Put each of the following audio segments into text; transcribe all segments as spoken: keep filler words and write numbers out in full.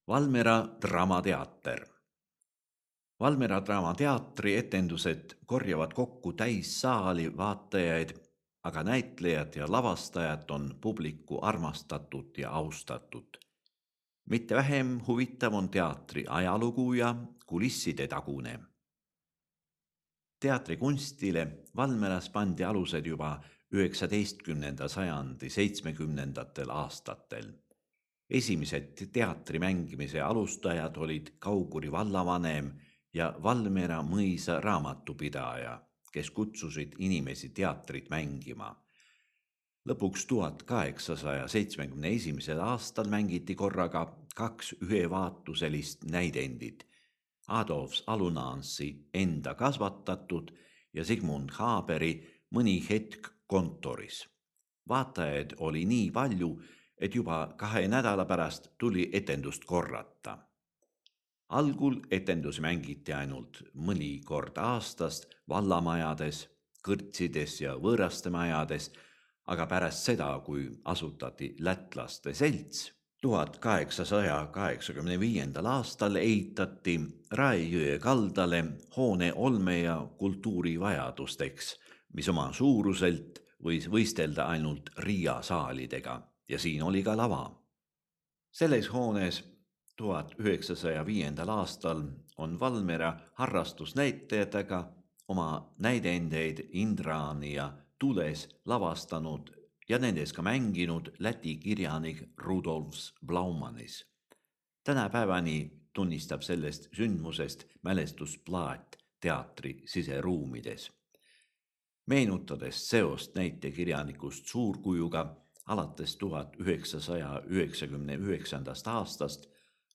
Valmiera Draamateater. Valmiera Draamateatri etendused korjavad kokku täissaali vaatajaid, aga näitlejad ja lavastajad on publiku armastatud ja austatud. Mitte vähem huvitav on teatri ajalugu ja kulisside tagune. Teatrikunstile Valmieras pandi alused juba üheksateistkümnenda sajandi seitsmekümnendatel aastatel. Esimesed teatri mängimise alustajad olid Kauguri vallavanem ja Valmiera mõisa raamatupidaja, kes kutsusid inimesi teatrit mängima. Lõpuks tuhat kaheksasaja seitsmekümne esimesel aastal mängiti korraga kaks ühevaatuselist näidendit, Adolf Alunansi enda kasvatatud ja Sigmund Haberi Mõni hetk kontoris. Vaatajaid oli nii palju, et juba kahe nädala pärast tuli etendust korrata. Algul etendus mängiti ainult mõni kord aastast vallamajades, kõrtsides ja võõraste majades, aga pärast seda, kui asutati lätlaste selts, tuhat kaheksasaja kaheksakümne viiendal aastal ehitati Raejõe kaldale hoone olme- ja kultuurivajadusteks, mis oma suuruselt võis võistelda ainult Riia saalidega ja siin oli ka lava. Selles hoones tuhat üheksasaja viiendal aastal on Valmiera harrastusnäitajatega oma näidendeid Indraani ja Tules lavastanud ja nendes ka mänginud Läti kirjanik Rudolf Blaumanis. Tänapäevani tunnistab sellest sündmusest mälestusplaat teatri siseruumides. Meenutades seost näitekirjanikust suurkujuga, alates tuhat üheksasaja üheksakümne üheksandast aastast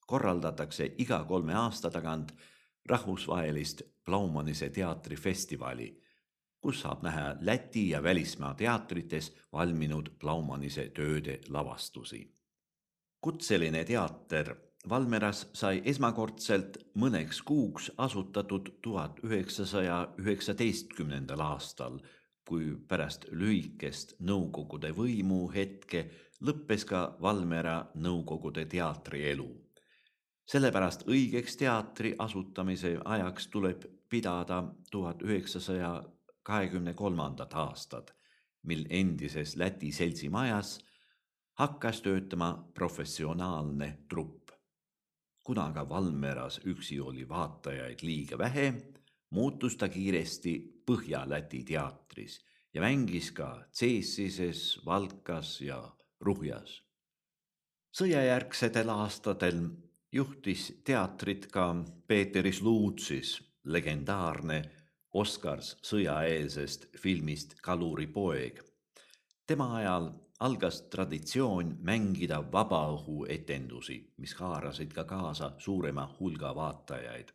korraldatakse iga kolme aasta tagant rahvusvahelist Blaumanise teatrifestivali, kus saab näha Läti ja välismaa teatrites valminud Blaumanise tööde lavastusi. Kutseline teater Valmieras sai esmakordselt mõneks kuuks asutatud tuhat üheksasaja üheksateistkümnendal aastal, kui pärast lühikest nõukogude võimu hetke lõppes ka Valmiera nõukogude teatrielu. Sellepärast õigeks teatri asutamise ajaks tuleb pidada tuhat üheksasaja kahekümne kolmandat aastat, mil endises Läti seltsimajas hakkas töötama professionaalne trupp. Kuna ka Valmieras üksi oli vaatajaid liiga vähe, muutus ta kiiresti Põhja-Läti teatris ja mängis ka Ceesises, Valkas ja Ruhjas. Sõjajärgsetel aastatel juhtis teatrit ka Peeteris Luutsis, legendaarne Oscars sõjaeelsest filmist Kaluri poeg. Tema ajal algas traditsioon mängida vabaõhuetendusi, mis haarasid ka kaasa suurema hulga vaatajaid.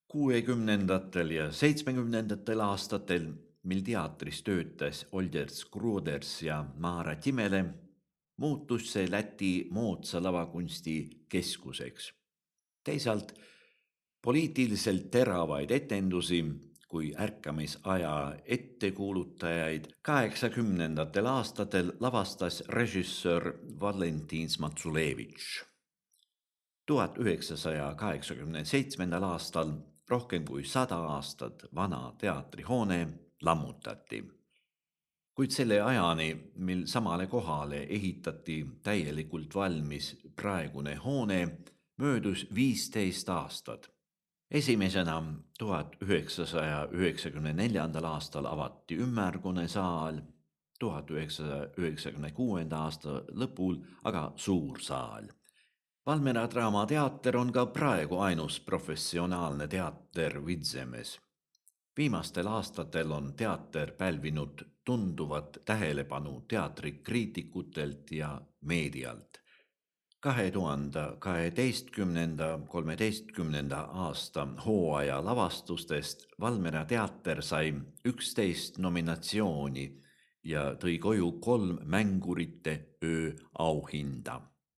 kuuekümnendatel ja seitsmekümnendatel aastatel, mil teatris töötas Older Skruders ja Maara Timele, muutus see Läti moodsa lavakunsti keskuseks. Teisalt poliitiliselt teravaid etendusi kui ärkamisaja ettekuulutajaid kaheksakümnendatel aastatel lavastas režissöör Valentin Smatsulevitš. tuhat üheksasaja kaheksakümne seitsmendal aastal rohkem kui sada aastat vana teatrihoone lammutati. Kuid selle ajani, mil samale kohale ehitati täielikult valmis praegune hoone, möödus viisteist aastat. Esimesena tuhat üheksasaja üheksakümne neljandal aastal avati ümmargune saal, tuhat üheksasaja üheksakümne kuuenda aasta lõpul aga suur saal. Valmiera Draamateater on ka praegu ainus professionaalne teater Vidzemes. Viimastel aastatel on teater pälvinud tunduvat tähelepanu teatrikriitikutelt ja meedialt. kahe tuhande kaheteistkümnenda kolmeteistkümnenda aasta hooaja lavastustest Valmiera teater sai üksteist nominatsiooni ja tõi koju kolm Mängurite öö auhinda.